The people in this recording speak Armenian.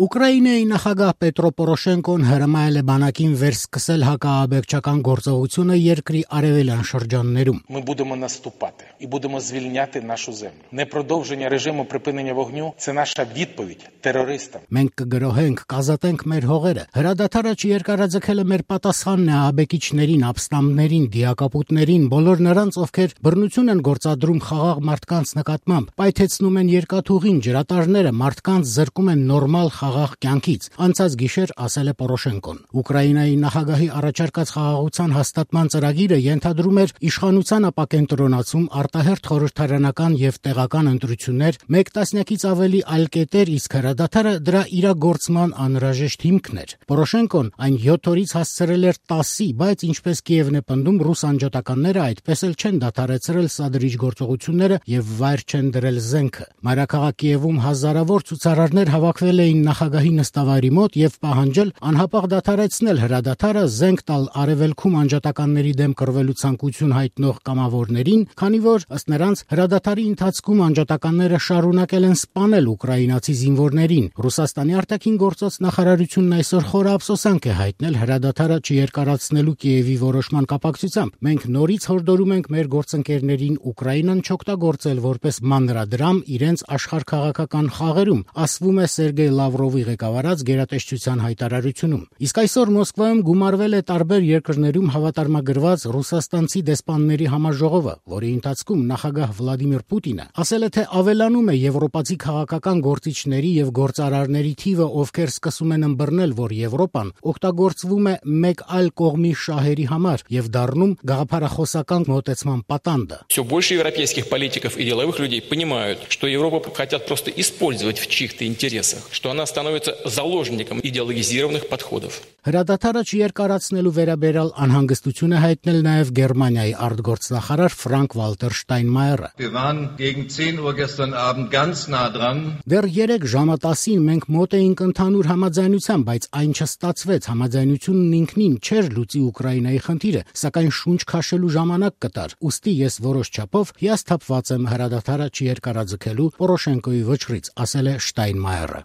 Ուկրաինայի նախագահ Պետրո Պորոշենկոն հրամայել է բանակին վերսկսել հակաաբեկչական գործողությունը երկրի արևելյան շրջաններում։ Ми будемо наступати і будемо звільняти нашу землю. Непродовження режиму припинення вогню – це наша відповідь терористам. Մենք կգրոհենք, կազատենք մեր հողերը։ Հրադադարը չերկարաձգելը մեր պատասխանն է աբեկիչներին, ապստամբներին, դիակապուտներին, բոլոր նրանց, ովքեր բռնություն են գործադրում խաղաղ մարդկանց նկատմամբ, պայթեցնում են երկաթուղին, ջրատարները, մարդկանց զրկում են նորմալ խաղաղ կյանքից, անցած գիշեր ասել է Պորոշենկոն։ Ուկրաինայի նախագահի առաջարկած խաղաղության հաստատման ծրագիրը ենթադրում էր իշխանության ապակենտրոնացում, արտահերթ խորհրդարանական եւ տեղական ընտրություններ, 1 տասնյակից ավելի այլ կետեր, իսկ հրադադարը դրա իրագործման անհրաժեշտ հիմքն էր։ Պորոշենկոն այն 7 օրից հասցրել էր 10-ի, բայց ինչպես Կիևն է պնդում, ռուս անջատականները այդպես էլ չեն դադարեցրել սադրիչ գործողությունները եւ վայր չեն դրել զենքը։ Մայրաքաղաք Կիևում հազարավոր ցուցարարներ հավաքվել էին նախագահի նստավայրի մոտ եւ պահանջել անհապաղ դադարեցնել հրադադարը, զենք տալ արևելքում անջատականների դեմ կռվելու ցանկություն հայտնող կամավորներին, քանի որ ըստ նրանց հրադադարի ընթացքում անջատականները շարունակել են սպանել ուկրաինացի զինվորներին։ Ռուսաստանի արտաքին գործոց նախարարությունն այսօր խորը ափսոսանք է հայտնել հրադադարը չերկարացնելու Կիևի որոշման կապակցությամբ։ Մենք նորից հորդորում ենք մեր գործընկերներին Ուկրաինան չօգտագործել որպես մանրադրամ իրենց աշխարհքաղաքական խաղերում, ասվում է Սերգեյ Լավրովի ղեկավարած գերատեսչության հայտարարությունում։ Իսկ այսօր Մոսկվայում գումարվել է տարբեր երկրներում հավատարմագրված ռուսաստանցի դեսպանների համաժողովը, որի ընթացքում նախագահ Վլադիմիր Պուտինը ասել է, թե ավելանում է եվրոպացի քաղաքական գործիչների եւ գործարարների թիվը, ովքեր սկսում են ըմբռնել, որ Եվրոպան օգտագործվում է մեկ այլ կողմի շահերի համար եւ դառնում գաղափարախոսական մոտեցման պատանդը։ Все больше европейских политиков и деловых людей понимают, что Европу хотят просто использовать в чьих-то интересах, что она становится заложником идеологизированных подходов. Հրադադարը չերկարացնելու վերաբերյալ անհանգստություն է հայտնել նաև Գերմանիայի արտգործնախարար Ֆրանկ Վալտեր Շտայնմայերը։ Դեռ 3 ժամը 10-ին մենք մոտ էինք ընդհանուր համաձայնության, բայց այն չստացվեց։ Համաձայնությունն ինքնին չէր լուծի Ուկրաինայի խնդիրը, սակայն շունչ քաշելու ժամանակ կտար։ Ուստի ես որոշ չափով հիասթափված եմ հրադադարը չերկարաձգելու Պորոշենկոյի վճռից, ասել է Շտայնմայերը։